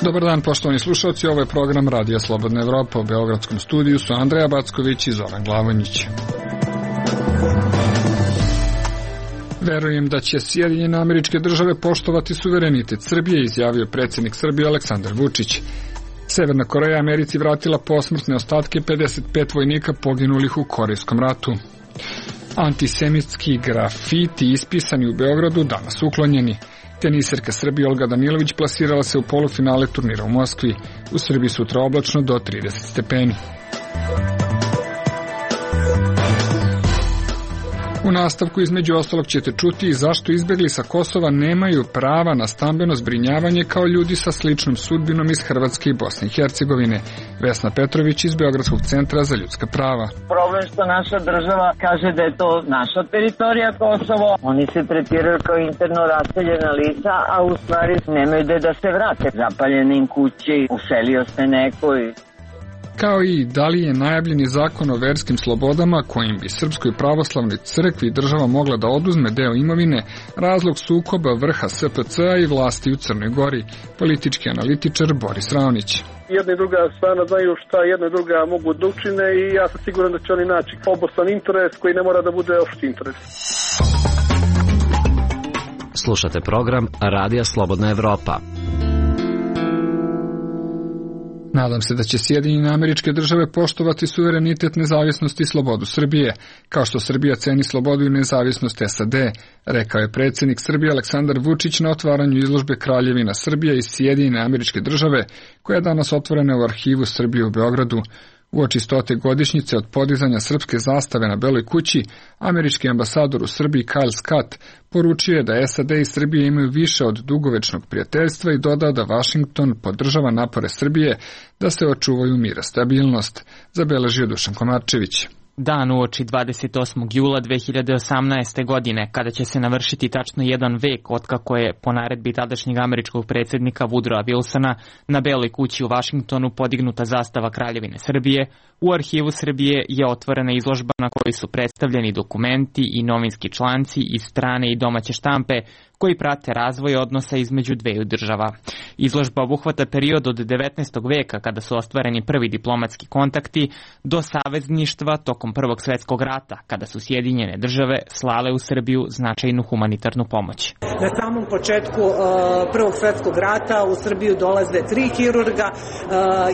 Dobar dan, poštovani slušalci, ovo je program Radija Slobodna Evropa. U beogradskom studiju su Andreja Backović i Zoran Glavonjić. Verujem da će Sjedinjene Američke Države poštovati suverenitet Srbije, izjavio predsjednik Srbije Aleksandar Vučić. Severna Koreja Americi vratila posmrtne ostatke 55 vojnika poginulih u Korejskom ratu. Antisemitski grafiti ispisani u Beogradu danas uklonjeni. Teniserka Srbije Olga Danilović plasirala se u polufinale turnira u Moskvi. U Srbiji sutra oblačno do 30 stepeni. U nastavku između ostalog ćete čuti zašto izbjegli sa Kosova nemaju prava na stambeno zbrinjavanje kao ljudi sa sličnom sudbinom iz Hrvatske i Bosne i Hercegovine. Vesna Petrović iz Beogradskog centra za ljudska prava. Problem što naša država kaže da je to naša teritorija Kosovo. Oni se tretiraju kao interno raseljena lica, a u stvari nemaju gde da se vrate. Zapaljene im kući, uselio se neko i... Kao i da li je najavljeni zakon o verskim slobodama kojim bi Srpskoj pravoslavnoj crkvi država mogla da oduzme deo imovine razlog sukoba vrha SPC-a i vlasti u Crnoj Gori, politički analitičar Boris Raonić. Jedna i druga strana znaju šta jedna i druga mogu da učine i ja sam siguran da će oni naći obostrani interes koji ne mora da bude opšti interes. Slušate program Radija Slobodna Evropa. Nadam se da će Sjedinjene Američke Države poštovati suverenitet, nezavisnost i slobodu Srbije, kao što Srbija ceni slobodu i nezavisnost SAD, rekao je predsjednik Srbije Aleksandar Vučić na otvaranju izložbe Kraljevina Srbija i Sjedinjene Američke Države, koja je danas otvorena u Arhivu Srbije u Beogradu. Uoči 100. godišnjice od podizanja srpske zastave na Beloj kući, američki ambasador u Srbiji Kyle Scott poručio je da SAD i Srbije imaju više od dugovečnog prijateljstva i dodao da Vašington podržava napore Srbije da se očuvaju mir i stabilnost, zabeležio Dušan Komarčević. Dan uoči 28. jula 2018. godine, kada će se navršiti tačno jedan vek otkako je po naredbi tadašnjeg američkog predsjednika Woodrowa Wilsona na Beloj kući u Vašingtonu podignuta zastava Kraljevine Srbije, u Arhivu Srbije je otvorena izložba na kojoj su predstavljeni dokumenti i novinski članci iz strane i domaće štampe koji prate razvoj odnosa između dveju država. Izložba obuhvata period od 19. veka kada su ostvareni prvi diplomatski kontakti do savezništva tokom Prvog svjetskog rata kada su Sjedinjene države slale u Srbiju značajnu humanitarnu pomoć. Na samom početku Prvog svjetskog rata u Srbiju dolaze 3 hirurga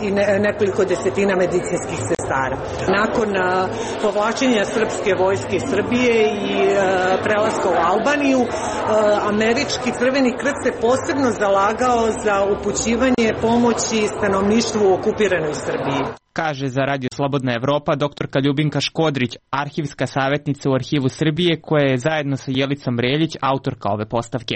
i nekoliko desetina medicinskih sestara. Nakon povlačenja srpske vojske iz Srbije i prelaska u Albaniju, američki Crveni krst se posebno zalagao za upućivanje pomoći stanovništvu u okupiranoj Srbiji. Kaže za Radio Slobodna Evropa doktorka Ljubinka Škodrić, arhivska savjetnica u Arhivu Srbije, koja je zajedno sa Jelicom Reljić autorka ove postavke.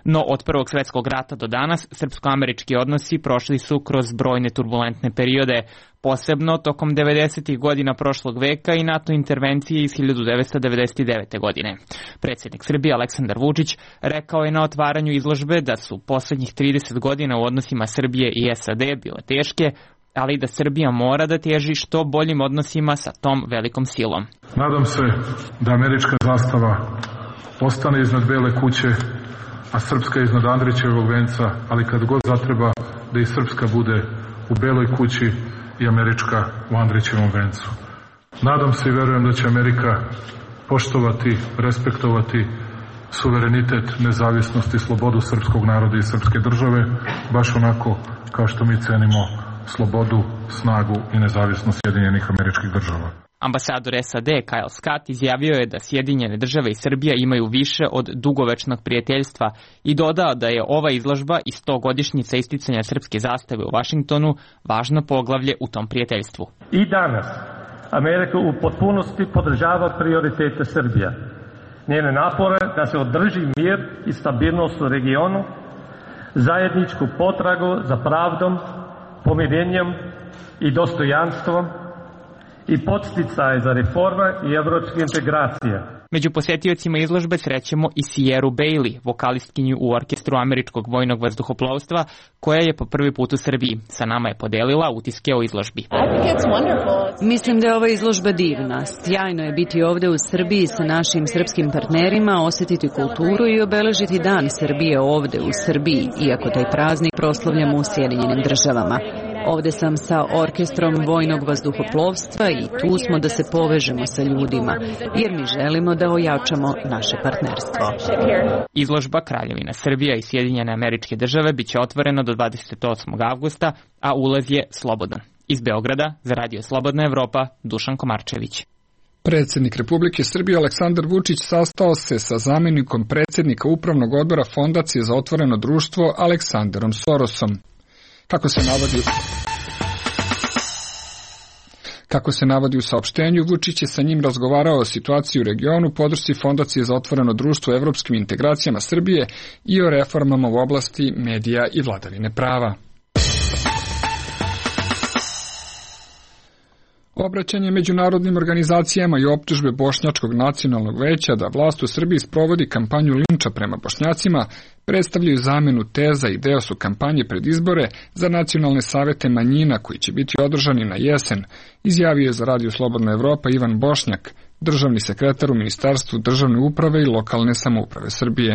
No od Prvog svjetskog rata do danas srpsko-američki odnosi prošli su kroz brojne turbulentne periode, posebno tokom 90. godina prošlog veka i NATO intervencije iz 1999. godine. Predsjednik Srbije Aleksandar Vučić rekao je na otvaranju izložbe da su posljednjih 30 godina u odnosima Srbije i SAD bile teške, ali da Srbija mora da teži što boljim odnosima sa tom velikom silom. Nadam se da američka zastava ostane iznad Bele kuće, a srpska iznad Andrićevog venca, ali kad god zatreba da i srpska bude u Beloj kući i američka u Andrićevom vencu. Nadam se i verujem da će Amerika poštovati, respektovati suverenitet, nezavisnost i slobodu srpskog naroda i srpske države, baš onako kao što mi cenimo slobodu, snagu i nezavisnost Sjedinjenih Američkih Država. Ambasador SAD Kyle Scott izjavio je da Sjedinjene države i Srbija imaju više od dugovečnog prijateljstva i dodao da je ova izložba i 100-godišnjica isticanja srpske zastave u Vašingtonu važno poglavlje u tom prijateljstvu. I danas Amerika u potpunosti podržava prioritete Srbije, njene napore da se održi mir i stabilnost u regionu, zajedničku potragu za pravdom, pomirenjem i dostojanstvom i podsticaj za reforme i evropske integracije. Među posetiocima izložbe srećemo i Sierru Bailey, vokalistkinju u orkestru američkog vojnog vazduhoplovstva, koja je po prvi put u Srbiji. Sa nama je podelila utiske o izložbi. Mislim da je ova izložba divna. Sjajno je biti ovde u Srbiji sa našim srpskim partnerima, osetiti kulturu i obeležiti Dan Srbije ovde u Srbiji, iako taj praznik proslavljamo u Sjedinjenim Državama. Ovde sam sa orkestrom vojnog vazduhoplovstva i tu smo da se povežemo sa ljudima, jer mi želimo da ojačamo naše partnerstvo. Izložba Kraljevina Srbija i Sjedinjene Američke Države biće otvorena do 28. avgusta, a ulaz je slobodan. Iz Beograda, za Radio Slobodna Evropa, Dušan Komarčević. Predsjednik Republike Srbije Aleksandar Vučić sastao se sa zamjenikom predsjednika Upravnog odbora Fondacije za otvoreno društvo Aleksandarom Sorosom. Kako se navodi u saopštenju, Vučić je sa njim razgovarao o situaciji u regionu, podršci Fondacije za otvoreno društvo, evropskim integracijama Srbije i o reformama u oblasti medija i vladavine prava. Obraćanje međunarodnim organizacijama i optužbe Bošnjačkog nacionalnog veća da vlast u Srbiji sprovodi kampanju linča prema Bošnjacima predstavljaju zamjenu teza i deo su kampanje pred izbore za nacionalne savete manjina koji će biti održani na jesen, izjavio je za Radio Slobodna Evropa Ivan Bošnjak, državni sekretar u Ministarstvu državne uprave i lokalne samouprave Srbije.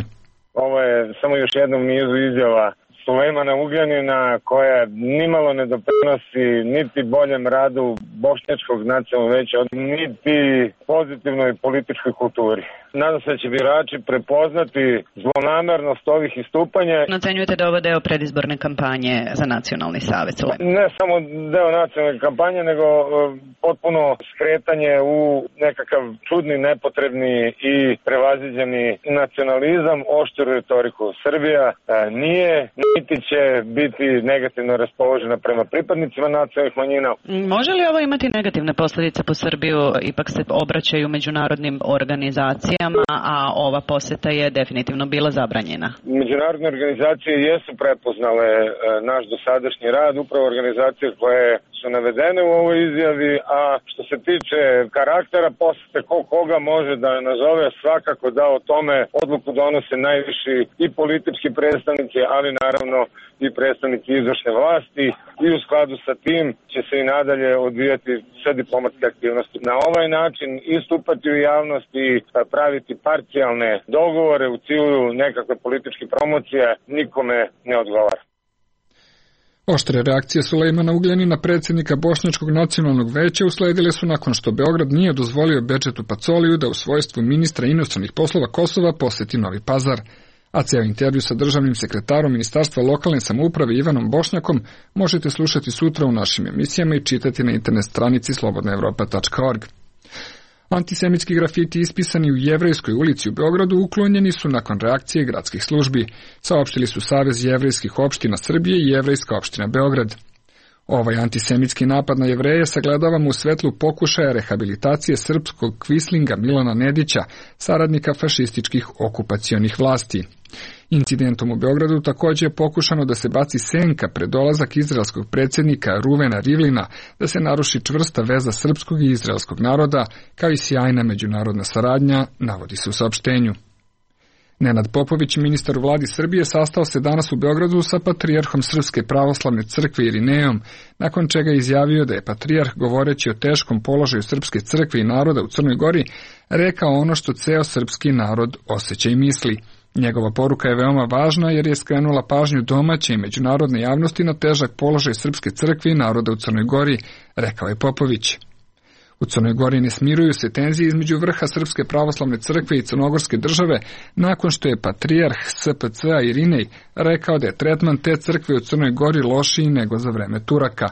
Ovo je samo još jednom nizu izjava Sulejmana Ugljanina koja nimalo ne doprinosi niti boljem radu Bošnjačkog nacionalnog veća, niti pozitivnoj političkoj kulturi. Nadam se da će birači prepoznati zlonamernost ovih istupanja. Ocenjujete da ovo deo predizborne kampanje za nacionalni savez? Ne samo deo nacionalne kampanje, nego potpuno skretanje u nekakav čudni, nepotrebni i prevaziđeni nacionalizam, oštru retoriku. Srbija nije, niti će biti negativno raspoložena prema pripadnicima nacionalnih manjina. Može li ovo imati negativne posljedice po Srbiju? Ipak se obraćaju međunarodnim organizacijama, a ova poseta je definitivno bila zabranjena. Međunarodne organizacije jesu prepoznale naš dosadašnji rad, upravo organizacije koje su navedene u ovoj izjavi, a što se tiče karaktera posete, koga može da nazove, svakako da o tome odluku donose najviši i politički predstavnici, ali naravno i predstavnici izvršne vlasti, i u skladu sa tim će se i nadalje odvijati sve diplomatske aktivnosti. Na ovaj način istupati u javnosti i praviti parcijalne dogovore u cilju nekakve političke promocije nikome ne odgovara. Oštre reakcije Sulejmana Ugljanina, predsjednika Bošnjačkog nacionalnog veća, usledile su nakon što Beograd nije dozvolio Bedžetu Pacoliju da u svojstvu ministra inostranih poslova Kosova poseti Novi Pazar. A ceo intervju sa državnim sekretarom Ministarstva lokalne samouprave Ivanom Bošnjakom možete slušati sutra u našim emisijama i čitati na internet stranici slobodnaevropa.org. Antisemitski grafiti ispisani u Jevrejskoj ulici u Beogradu uklonjeni su nakon reakcije gradskih službi, saopštili su Savez jevrejskih opština Srbije i Jevrejska opština Beograd. Ovaj antisemitski napad na Jevreje sagledavamo u svetlu pokušaja rehabilitacije srpskog kvislinga Milana Nedića, saradnika fašističkih okupacionih vlasti. Incidentom u Beogradu također je pokušano da se baci senka pred dolazak izraelskog predsjednika Ruvena Rivlina, da se naruši čvrsta veza srpskog i izraelskog naroda, kao i sjajna međunarodna saradnja, navodi se u saopštenju. Nenad Popović, ministar u vladi Srbije, sastao se danas u Beogradu sa patrijarhom Srpske pravoslavne crkve Irinejom, nakon čega je izjavio da je patrijarh, govoreći o teškom položaju Srpske crkve i naroda u Crnoj Gori, rekao ono što ceo srpski narod osjeća i misli. Njegova poruka je veoma važna jer je skrenula pažnju domaće i međunarodne javnosti na težak položaj Srpske crkve i naroda u Crnoj Gori, rekao je Popović. U Crnoj Gori ne smiruju se tenzije između vrha Srpske pravoslavne crkve i Crnogorske države nakon što je patrijarh SPC-a Irinej rekao da je tretman te crkve u Crnoj Gori lošiji nego za vreme Turaka.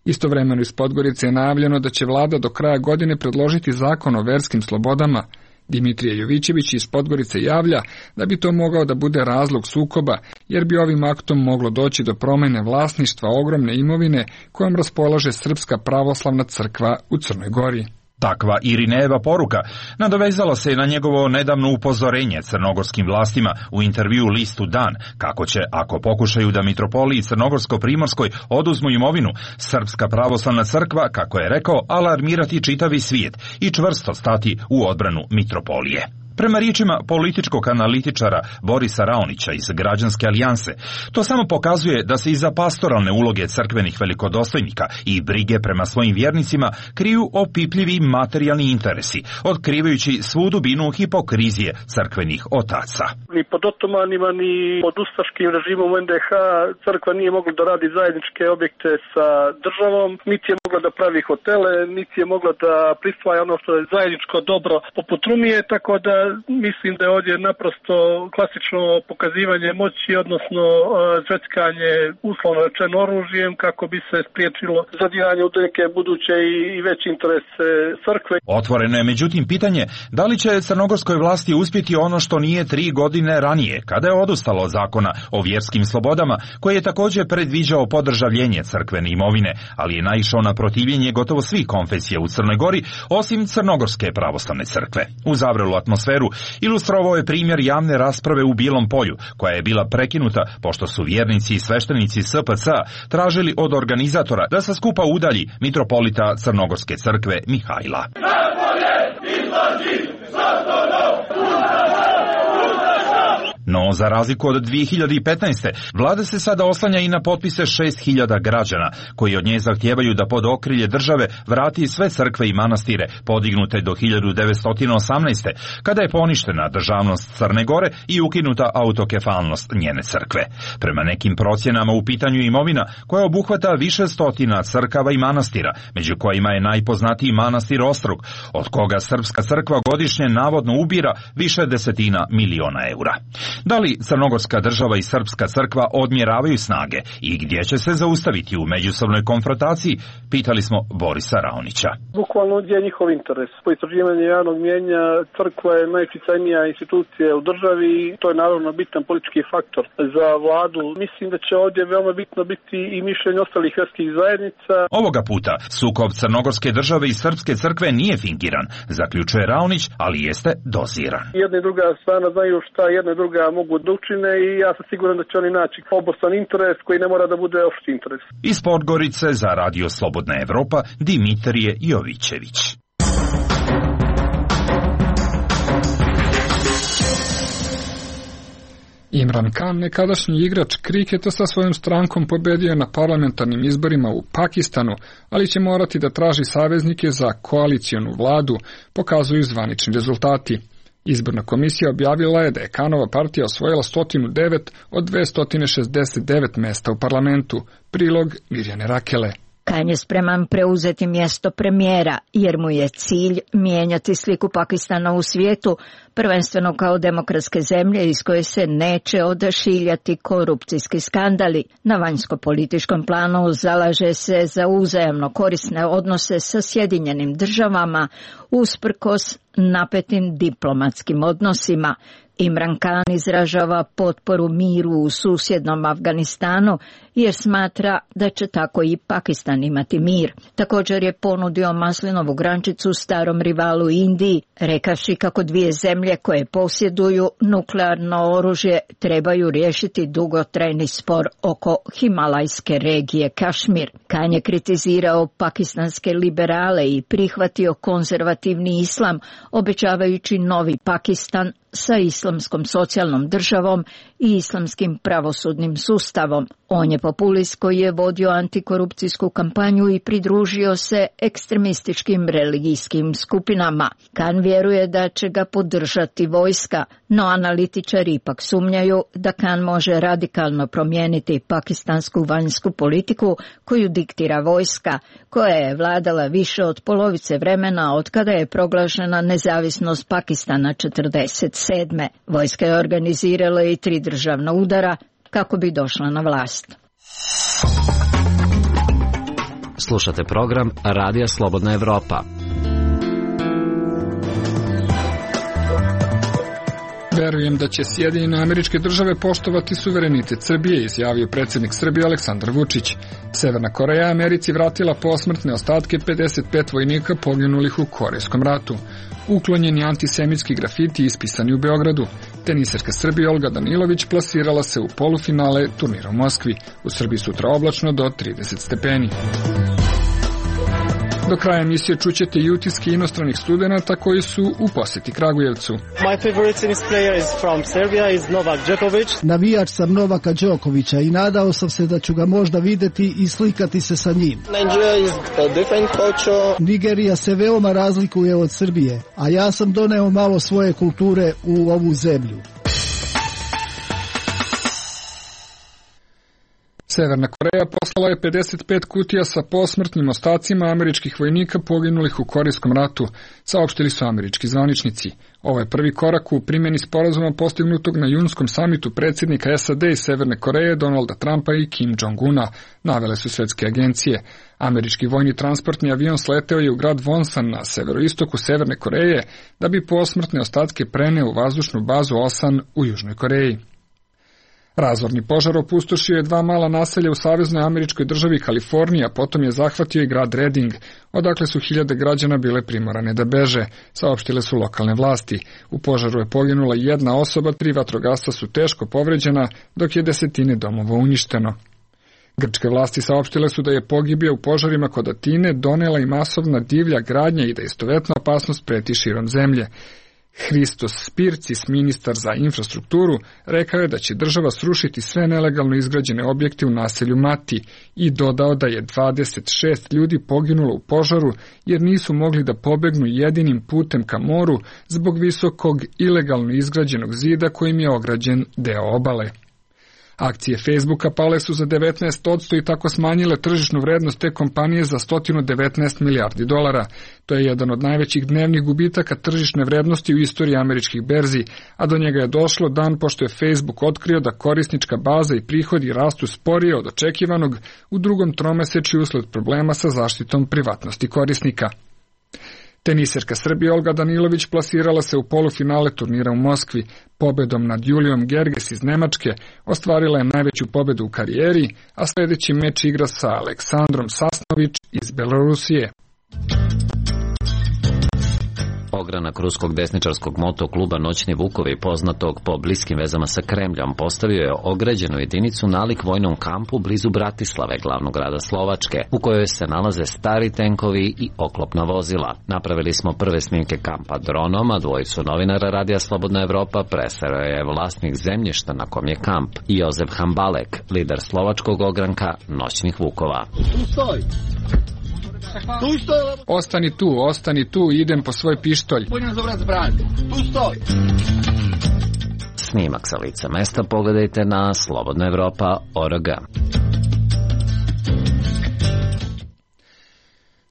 Istovremeno iz Podgorice je najavljeno da će vlada do kraja godine predložiti zakon o verskim slobodama. Dimitrije Jovićević iz Podgorice javlja da bi to mogao da bude razlog sukoba, jer bi ovim aktom moglo doći do promjene vlasništva ogromne imovine kojom raspolaže Srpska pravoslavna crkva u Crnoj Gori. Takva Irinejeva poruka nadovezala se na njegovo nedavno upozorenje crnogorskim vlastima u intervju listu Dan, kako će, ako pokušaju da mitropoliji Crnogorsko-Primorskoj oduzmu imovinu, Srpska pravoslavna crkva, kako je rekao, alarmirati čitavi svijet i čvrsto stati u odbranu mitropolije. Prema riječima političkog analitičara Borisa Raonića iz Građanske alijanse, to samo pokazuje da se iza pastoralne uloge crkvenih velikodostojnika i brige prema svojim vjernicima kriju opipljivi materijalni interesi, otkrivajući svu dubinu hipokrizije crkvenih otaca. Ni pod otomanima, ni pod ustaškim režimom NDH crkva nije mogla da radi zajedničke objekte sa državom, niti je mogla da pravi hotele, niti je mogla da prisvaja ono što je zajedničko dobro poput Rumije, tako da mislim da je ovdje naprosto klasično pokazivanje moći, odnosno zveckanje uslovno rečeno oružjem kako bi se spriječilo zadiranje u neke buduće i veće interese crkve. Otvoreno je međutim pitanje da li će crnogorskoj vlasti uspjeti ono što nije 3 godine ranije, kada je odustalo od zakona o vjerskim slobodama, koji je također predviđao podržavljenje crkvene imovine, ali je naišao na protivljenje gotovo svih konfesija u Crnoj Gori, osim Crnogorske pravoslavne crkve. U zavrelu atmosferu ilustrovao je primjer javne rasprave u Bilom Polju, koja je bila prekinuta pošto su vjernici i sveštenici SPC tražili od organizatora da sa skupa udalji mitropolita Crnogorske crkve Mihajla. No, za razliku od 2015. vlada se sada oslanja i na potpise 6.000 građana, koji od nje zahtijevaju da pod okrilje države vrati sve crkve i manastire podignute do 1918. kada je poništena državnost Crne Gore i ukinuta autokefalnost njene crkve. Prema nekim procjenama u pitanju imovina koja obuhvata više stotina crkava i manastira, među kojima je najpoznatiji manastir Ostrog, od koga srpska crkva godišnje navodno ubira više desetina miliona eura. Da li crnogorska država i srpska crkva odmjeravaju snage i gdje će se zaustaviti u međusobnoj konfrontaciji, pitali smo Borisa Raonića. Bukvalno gdje je njihov interes. Po istraživanju javnog mnijenja crkva je najutjecajnija institucija u državi i to je naravno bitan politički faktor za vladu. Mislim da će ovdje veoma bitno biti i mišljenje ostalih vjerskih zajednica. Ovoga puta sukob crnogorske države i srpske crkve nije fingiran, zaključuje Raonić, ali jeste doziran. Jedna i druga strana znaju šta jedna i druga mogu da učine i ja sam siguran da će oni naći obostrani interes koji ne mora da bude opšti interes. Iz Podgorice za Radio Slobodna Evropa Dimitrije Jovićević. Imran Khan, nekadašnji igrač kriketa, sa svojom strankom pobedio na parlamentarnim izborima u Pakistanu, ali će morati da traži saveznike za koalicionu vladu, pokazuju zvanični rezultati. Izborna komisija objavila je da je Khanova partija osvojila 109 od 269 mesta u parlamentu. Prilog Mirjane Rakele. Khan je spreman preuzeti mjesto premijera, jer mu je cilj mijenjati sliku Pakistana u svijetu, prvenstveno kao demokratske zemlje iz koje se neće odašiljati korupcijski skandali. Na vanjsko-političkom planu zalaže se za uzajamno korisne odnose sa Sjedinjenim državama, usprkos napetim diplomatskim odnosima. Imran Khan izražava potporu miru u susjednom Afganistanu jer smatra da će tako i Pakistan imati mir. Također je ponudio maslinovu grančicu starom rivalu Indiji, rekavši kako dvije zemlje koje posjeduju nuklearno oružje trebaju riješiti dugotrajni spor oko himalajske regije Kašmir. Khan je kritizirao pakistanske liberale i prihvatio konzervativni islam, obećavajući novi Pakistan sa islamskom socijalnom državom i islamskim pravosudnim sustavom. On je populist koji je vodio antikorupcijsku kampanju i pridružio se ekstremističkim religijskim skupinama. Khan vjeruje da će ga podržati vojska, no analitičari ipak sumnjaju da Khan može radikalno promijeniti pakistansku vanjsku politiku koju diktira vojska, koja je vladala više od polovice vremena od kada je proglašena nezavisnost Pakistana 1947. Vojska je organizirala i 3 državna udara kako bi došla na vlast. Slušate program Radija Slobodna Evropa. Verujem da će Sjedinjene Američke Države poštovati suverenitet Srbije, izjavio predsjednik Srbije Aleksandar Vučić. Severna Koreja Americi vratila posmrtne ostatke 55 vojnika poginulih u Korejskom ratu. Uklonjeni antisemitski grafiti ispisani u Beogradu. Teniserka Srbije Olga Danilović plasirala se u polufinale turnira u Moskvi. U Srbiji sutra oblačno do 30 stepeni. Do kraja emisije čućete i utiske inostranih studenata koji su u poseti Kragujevcu. My favorite tennis player is from Serbia is Novak Djokovic. Navijač sam Novaka Đokovića i nadao sam se da ću ga možda videti i slikati se sa njim. Nigeria is a different culture. Nigerija se veoma razlikuje od Srbije, a ja sam doneo malo svoje kulture u ovu zemlju. Severna Koreja poslala je 55 kutija sa posmrtnim ostacima američkih vojnika poginulih u Korejskom ratu, saopštili su američki zvaničnici. Ovo je prvi korak u primjeni sporazuma postignutog na junskom samitu predsjednika SAD i Severne Koreje Donalda Trumpa i Kim Jong-una, navele su svetske agencije. Američki vojni transportni avion sleteo je u grad Wonsan na severoistoku Severne Koreje da bi posmrtne ostatke preneo u vazdušnu bazu Osan u Južnoj Koreji. Razorni požar opustošio je 2 mala naselja u saveznoj američkoj državi Kalifornija, potom je zahvatio i grad Redding, odakle su hiljade građana bile primorane da beže, saopštile su lokalne vlasti. U požaru je poginula 1 osoba, 3 vatrogasca su teško povređena, dok je 10 domova uništeno. Grčke vlasti saopštile su da je pogibija u požarima kod Atine donela i masovna divlja gradnja i da istovetna opasnost preti širom zemlje. Hristos Spircis, ministar za infrastrukturu, rekao je da će država srušiti sve nelegalno izgrađene objekte u naselju Mati i dodao da je 26 ljudi poginulo u požaru jer nisu mogli da pobegnu jedinim putem ka moru zbog visokog ilegalno izgrađenog zida kojim je ograđen deo obale. Akcije Facebooka pale su za 19% i tako smanjile tržišnu vrednost te kompanije za 119 milijardi dolara. To je jedan od najvećih dnevnih gubitaka tržišne vrednosti u istoriji američkih berzi, a do njega je došlo dan pošto je Facebook otkrio da korisnička baza i prihodi rastu sporije od očekivanog u drugom tromesečju usled problema sa zaštitom privatnosti korisnika. Teniserka Srbije Olga Danilović plasirala se u polufinale turnira u Moskvi. Pobedom nad Julijom Gerges iz Nemačke ostvarila je najveću pobedu u karijeri, a sljedeći meč igra sa Aleksandrom Sasnović iz Belorusije. Ogranak ruskog desničarskog motokluba Noćni Vukovi, poznatog po bliskim vezama sa Kremljom, postavio je ograđenu jedinicu nalik vojnom kampu blizu Bratislave, glavnog grada Slovačke, u kojoj se nalaze stari tenkovi i oklopna vozila. Napravili smo prve snimke kampa dronom, a dvojicu novinara Radija Slobodna Evropa presreo je vlasnik zemljišta na kom je kamp, Jozef Hambalek, lider slovačkog ogranka Noćnih Vukova. Ostani tu, idem po svoj pištolj. Snimak sa lica mesta pogledajte na slobodnaevropa.org.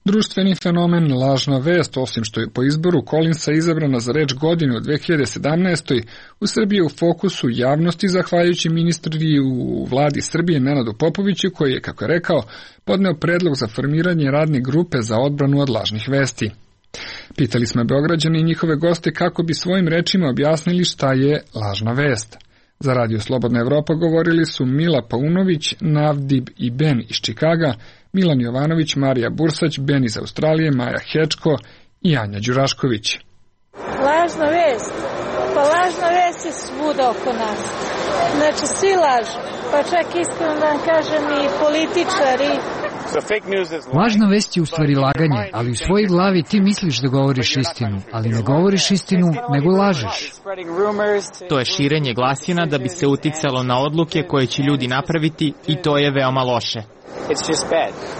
Društveni fenomen lažna vest, osim što je po izboru Collinsa izabrana za reč godine u 2017. u Srbiji je u fokusu javnosti zahvaljujući ministri u vladi Srbije Nenadu Popoviću koji je, kako je rekao, podneo predlog za formiranje radne grupe za odbranu od lažnih vesti. Pitali smo Beograđane i njihove goste kako bi svojim rečima objasnili šta je lažna vest. Za Radio Slobodna Evropa govorili su Mila Paunović, Navdib i Ben iz Čikaga, Milan Jovanović, Marija Bursać, Ben iz Australije, Maja Hečko i Anja Đurašković. Lažna vest. Pa lažna vest je svuda oko nas. Znači svi lažu. Pa čak iskreno da vam kažem i političari. Lažna vest je u stvari laganje, ali u svojoj glavi ti misliš da govoriš istinu, ali ne govoriš istinu, nego lažeš. To je širenje glasina da bi se uticalo na odluke koje će ljudi napraviti i to je veoma loše.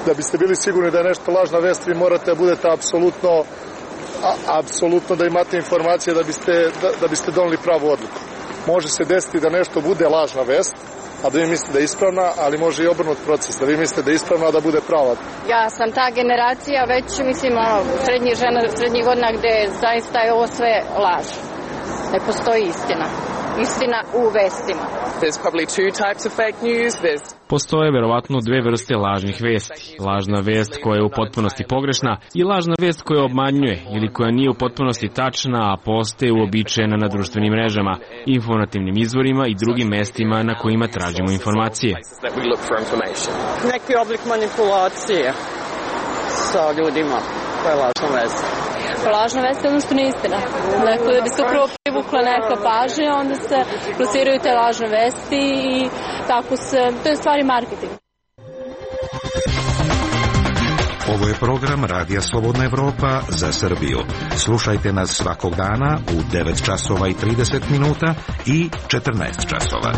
Da biste bili sigurni da je nešto lažna vest, vi morate da budete apsolutno da imate informacije da biste doneli pravu odluku. Može se desiti da nešto bude lažna vest, a da vi mislite da je ispravna, ali može i obrnut proces, da vi mislite da je ispravna, a da bude prava. Ja sam ta generacija već, srednjih godina gde zaista je ovo sve laž. Ne postoji istina. Istina u vestima. Postoje verovatno dve vrste lažnih vesti. Lažna vest koja je u potpunosti pogrešna i lažna vest koja obmanjuje ili koja nije u potpunosti tačna, a postaje uobičajena na društvenim mrežama, informativnim izvorima i drugim mestima na kojima tražimo informacije. Neki oblik manipulacije sa ljudima. To je lažna vest. Lažna vest je jednostavno istina. Dakle, da bi se upravo privukla neka pažnja, onda se plasiraju te lažne vesti i tako se, to je stvari marketing. Ovo je program Radija Slobodna Evropa za Srbiju. Slušajte nas svakog dana u 9 časova i 30 minuta i 14 časova.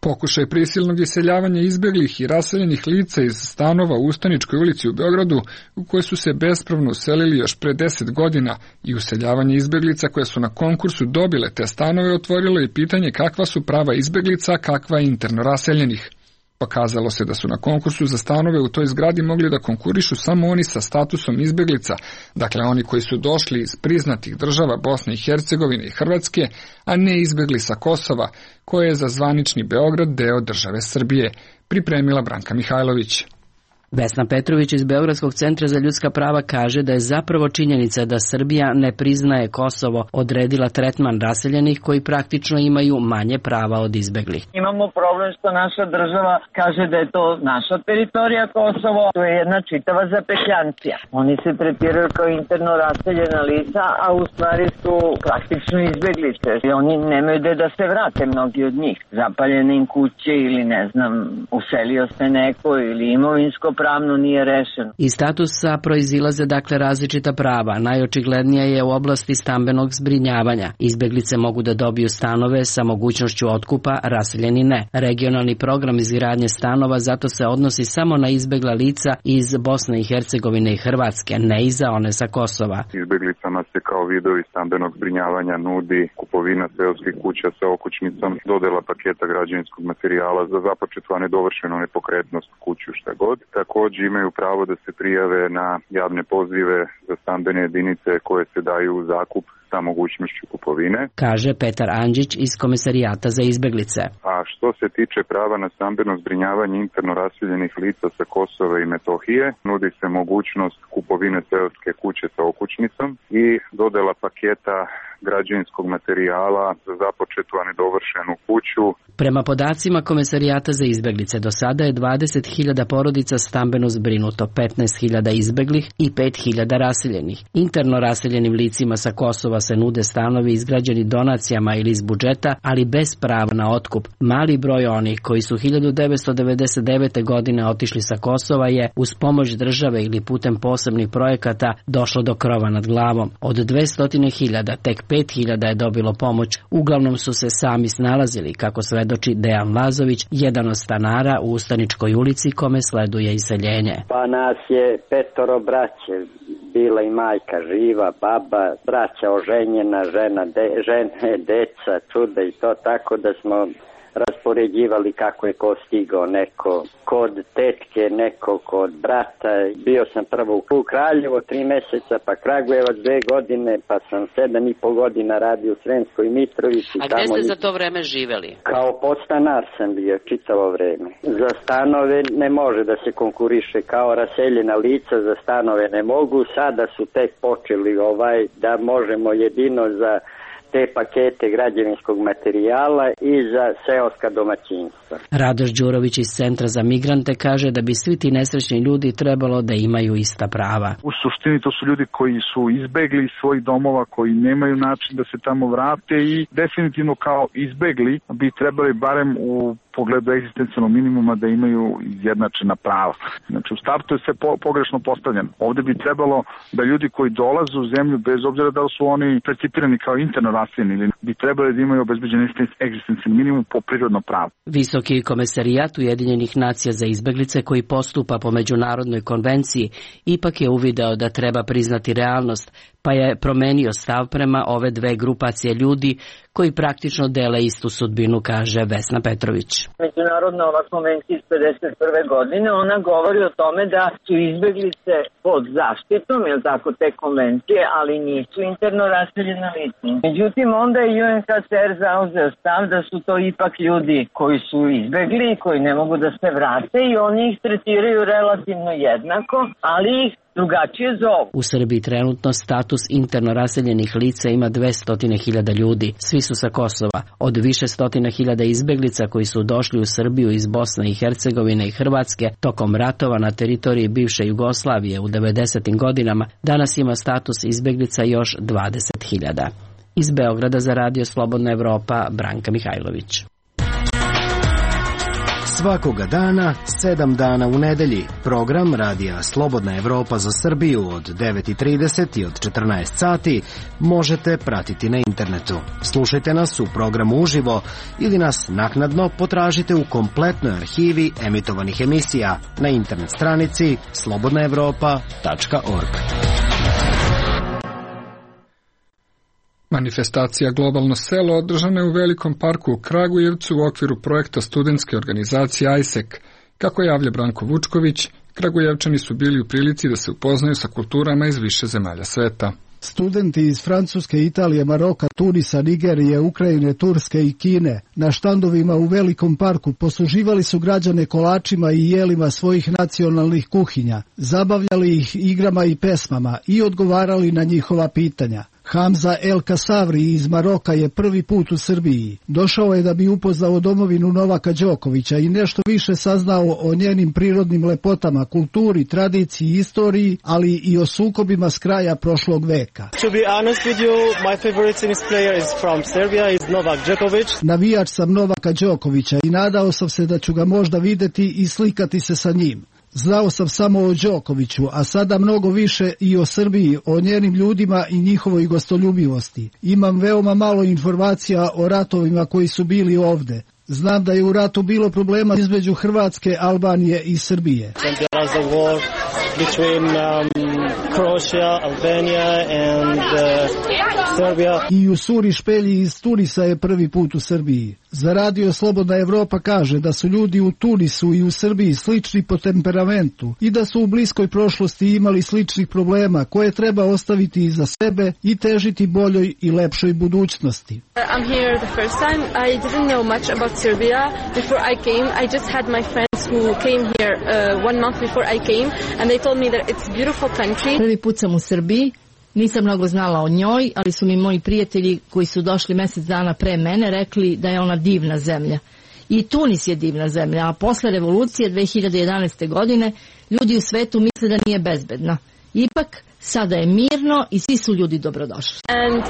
Pokušaj prisilnog iseljavanja izbeglih i raseljenih lica iz stanova u Ustaničkoj ulici u Beogradu, u koje su se bespravno uselili još pre 10 godina, i useljavanje izbeglica koje su na konkursu dobile te stanove, otvorilo i pitanje kakva su prava izbeglica, a kakva interno raseljenih. Pokazalo se da su na konkursu za stanove u toj zgradi mogli da konkurišu samo oni sa statusom izbeglica, dakle oni koji su došli iz priznatih država Bosne i Hercegovine i Hrvatske, a ne izbegli sa Kosova, koje je za zvanični Beograd deo države Srbije, pripremila Branka Mihajlović. Vesna Petrović iz Beogradskog centra za ljudska prava kaže da je zapravo činjenica da Srbija ne priznaje Kosovo odredila tretman raseljenih koji praktično imaju manje prava od izbeglih. Imamo problem što naša država kaže da je to naša teritorija Kosovo, to je jedna čitava zapetljancija. Oni se tretiraju kao interno raseljena lica, a u stvari su praktično izbeglice. I oni nemaju gde da se vrate, mnogi od njih. Zapaljene im kuće ili ne znam, uselio se neko ili imovinsko pravno nije rešeno. Iz statusa proizilaze dakle različita prava. Najočiglednija je u oblasti stambenog zbrinjavanja. Izbeglice mogu da dobiju stanove sa mogućnošću otkupa, raseljeni ne. Regionalni program izgradnje stanova zato se odnosi samo na izbegla lica iz Bosne i Hercegovine i Hrvatske, ne i za one sa Kosova. Izbeglicama se kao vidovi stambenog zbrinjavanja nudi kupovina seoskih kuća sa okućnicom, dodela paketa građevinskog materijala za započetu, a nedovršenu nepokretnost kuću, šta god. Također imaju pravo da se prijave na javne pozive za stambene jedinice koje se daju u zakup sa mogućnošću kupovine, kaže Petar Andžić iz Komisarijata za izbeglice. A što se tiče prava na stambeno zbrinjavanje interno raseljenih lica sa Kosova i Metohije, nudi se mogućnost kupovine seoske kuće sa okućnicom i dodela paketa građevinskog materijala za započetu, a nedovršenu kuću. Prema podacima Komisarijata za izbeglice, do sada je 20.000 porodica stambeno zbrinuto, 15.000 izbeglih i 5.000 raseljenih. Interno raseljenim licima sa Kosova se nude stanovi izgrađeni donacijama ili iz budžeta, ali bez prava na otkup. Mali broj onih koji su 1999. godine otišli sa Kosova je uz pomoć države ili putem posebnih projekata došlo do krova nad glavom. Od 200.000 tek 5.000 je dobilo pomoć. Uglavnom su se sami snalazili, kako svedoči Dejan Lazović, jedan od stanara u Ustaničkoj ulici kome sleduje iseljenje. Pa nas je 5 braće, bila i majka živa, baba, braća oženjena, žene, deca, čuda i to, tako da smo raspoređivali kako je ko stigao, neko kod tetke, neko kod brata. Bio sam prvo u Kraljevo 3 meseca, pa Kragujevac 2 godine, pa sam 7,5 godina radio u Sremskoj Mitrovici. A gde ste za to vreme živeli? Kao podstanar sam bio čitavo vreme. Za stanove ne može da se konkuriše kao raseljena lica, za stanove ne mogu. Sada su tek počeli da možemo jedino za te pakete građevinskog materijala i za seoska domaćinstva. Radoš Đurović iz Centra za migrante kaže da bi svi ti nesrećni ljudi trebalo da imaju ista prava. U suštini to su ljudi koji su izbegli iz svojih domova, koji nemaju način da se tamo vrate i definitivno kao izbegli bi trebali barem u pogledu egzistencijalnog minimuma da imaju izjednačena prava. Znači u startu je sve pogrešno postavljeno. Ovde bi trebalo da ljudi koji dolaze u zemlju, bez obzira da li su oni percipirani kao interno raseljeni, ili bi trebali da imaju obezbeđen egzistencijalni minimum po prirodno pravo. Visoki komesarijat Ujedinjenih nacija za izbeglice koji postupa po međunarodnoj konvenciji ipak je uvideo da treba priznati realnost, pa je promenio stav prema ove dve grupacije ljudi koji praktično dele istu sudbinu, kaže Vesna Petrović. Međunarodna ova konvencija iz 51. godine, ona govori o tome da su izbeglice pod zaštitom, je tako, te konvencije, ali nisu interno raseljena lica. Međutim, onda je UNHCR zauzeo stav da su to ipak ljudi koji su izbegli, koji ne mogu da se vrate i oni ih tretiraju relativno jednako, ali ih drugačije zovu. U Srbiji trenutno status interno raseljenih lica ima 200.000 ljudi. Svi su sa Kosova. Od više stotina hiljada izbeglica koji su došli u Srbiju iz Bosne i Hercegovine i Hrvatske tokom ratova na teritoriji bivše Jugoslavije u 90. godinama, danas ima status izbeglica još 20.000. Iz Beograda za Radio Slobodna Evropa, Branka Mihajlović. Svakoga dana, 7 dana u nedelji. Program Radija Slobodna Evropa za Srbiju od 9:30 i od 14 sati možete pratiti na internetu. Slušajte nas u programu uživo ili nas naknadno potražite u kompletnoj arhivi emitovanih emisija na internet stranici slobodnaevropa.org. Manifestacija Globalno selo održana je u Velikom parku u Kragujevcu u okviru projekta studentske organizacije ISEC. Kako javlja Branko Vučković, Kragujevčani su bili u prilici da se upoznaju sa kulturama iz više zemalja sveta. Studenti iz Francuske, Italije, Maroka, Tunisa, Nigerije, Ukrajine, Turske i Kine na štandovima u Velikom parku posluživali su građane kolačima i jelima svojih nacionalnih kuhinja, zabavljali ih igrama i pesmama i odgovarali na njihova pitanja. Hamza El Kasavri iz Maroka je prvi put u Srbiji. Došao je da bi upoznao domovinu Novaka Đokovića i nešto više saznao o njenim prirodnim lepotama, kulturi, tradiciji, istoriji, ali i o sukobima s kraja prošlog veka. To be honest with you, my favorite tennis player is from Serbia, is Novak Djokovic. Navijač sam Novaka Đokovića i nadao sam se da ću ga možda videti i slikati se sa njim. Znao sam samo o Đokoviću, a sada mnogo više i o Srbiji, o njenim ljudima i njihovoj gostoljubivosti. Imam veoma malo informacija o ratovima koji su bili ovde. Znam da je u ratu bilo problema između Hrvatske, Albanije i Srbije. Between Croatia, Albania and Serbia. I Jusuri Špelji iz Tunisa je prvi put u Srbiji. Za Radio Slobodna Evropa kaže da su ljudi u Tunisu i u Srbiji slični po temperamentu i da su u bliskoj prošlosti imali sličnih problema koje treba ostaviti iza sebe i težiti boljoj i lepšoj budućnosti. I'm here the first time. I didn't know much about Serbia before I came. I just had my friends who came here 1 month before I came and they told me that it's a beautiful country. Prvi put sam u Srbiji. Nisam mnogo znala o njoj, ali su mi moji prijatelji koji su došli mjesec dana pre mene rekli da je ona divna zemlja. I Tunis je divna zemlja, a posle revolucije 2011. godine ljudi u svetu misle da nije bezbedna. Ipak, sada je mirno i svi su ljudi dobrodošli. And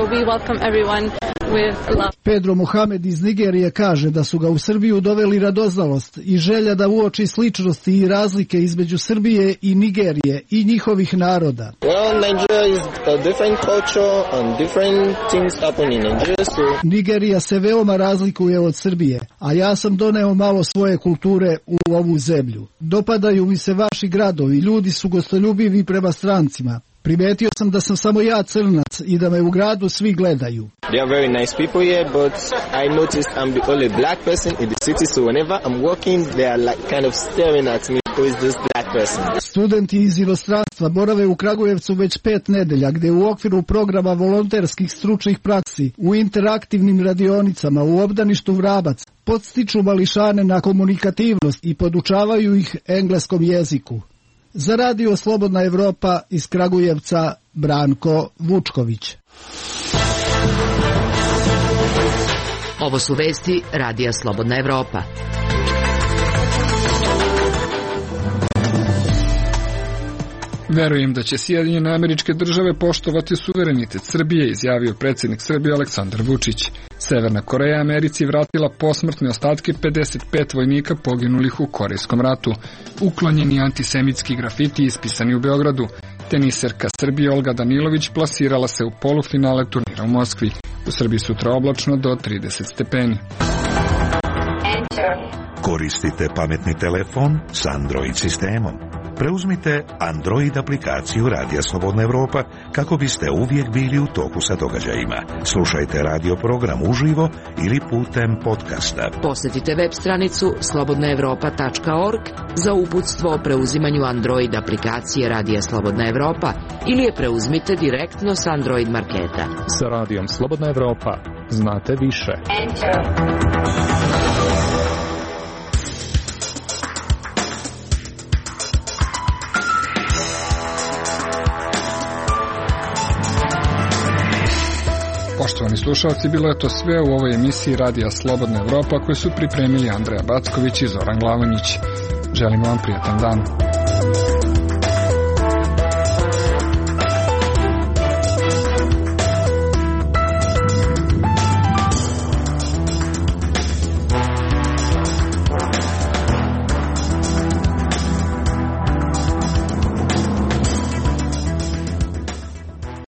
we welcome everyone with love. Pedro Mohamed iz Nigerije kaže da su ga u Srbiju doveli radoznalost i želja da uoči sličnosti i razlike između Srbije i Nigerije i njihovih naroda. Well, Nigeria is a different culture and different things happen in Nigeria. Nigerija se veoma razlikuje od Srbije, a ja sam doneo malo svoje kulture u ovu zemlju. Dopadaju mi se vaši gradovi, ljudi su gostoljubivi prema strancima. Primetio sam da sam samo ja crnac i da me u gradu svi gledaju. They are very nice people here, but I noticed I'm the only black person in the city, so whenever I'm walking, they are like kind of staring at me. Who is this black person? Studenti iz inostranstva borave u Kragujevcu već 5 nedelja, gde u okviru programa volonterskih stručnih praksi, u interaktivnim radionicama, u obdaništu Vrabac, podstiču mališane na komunikativnost i podučavaju ih engleskom jeziku. Za Radio Slobodna Evropa iz Kragujevca, Branko Vučković. Ovo su vesti Radija Slobodna Evropa. Verujem da će Sjedinjene Američke Države poštovati suverenitet Srbije, izjavio predsjednik Srbije Aleksandar Vučić. Severna Koreja Americi vratila posmrtne ostatke 55 vojnika poginulih u Korejskom ratu. Uklonjeni antisemitski grafiti ispisani u Beogradu. Teniserka Srbije Olga Danilović plasirala se u polufinale turnira u Moskvi. U Srbiji sutra oblačno do 30 stepeni. Koristite pametni telefon s Android sistemom. Preuzmite Android aplikaciju Radija Slobodna Evropa kako biste uvijek bili u toku sa događajima. Slušajte radio program uživo ili putem podcasta. Posjetite web stranicu slobodnaevropa.org za uputstvo o preuzimanju Android aplikacije Radija Slobodna Evropa ili je preuzmite direktno s Android marketa. Sa Radijom Slobodna Evropa znate više. Poštovani slušalci, bilo je to sve u ovoj emisiji Radija Slobodna Evropa koju su pripremili Andreja Backović i Zoran Glavonjić. Želimo vam prijatan dan.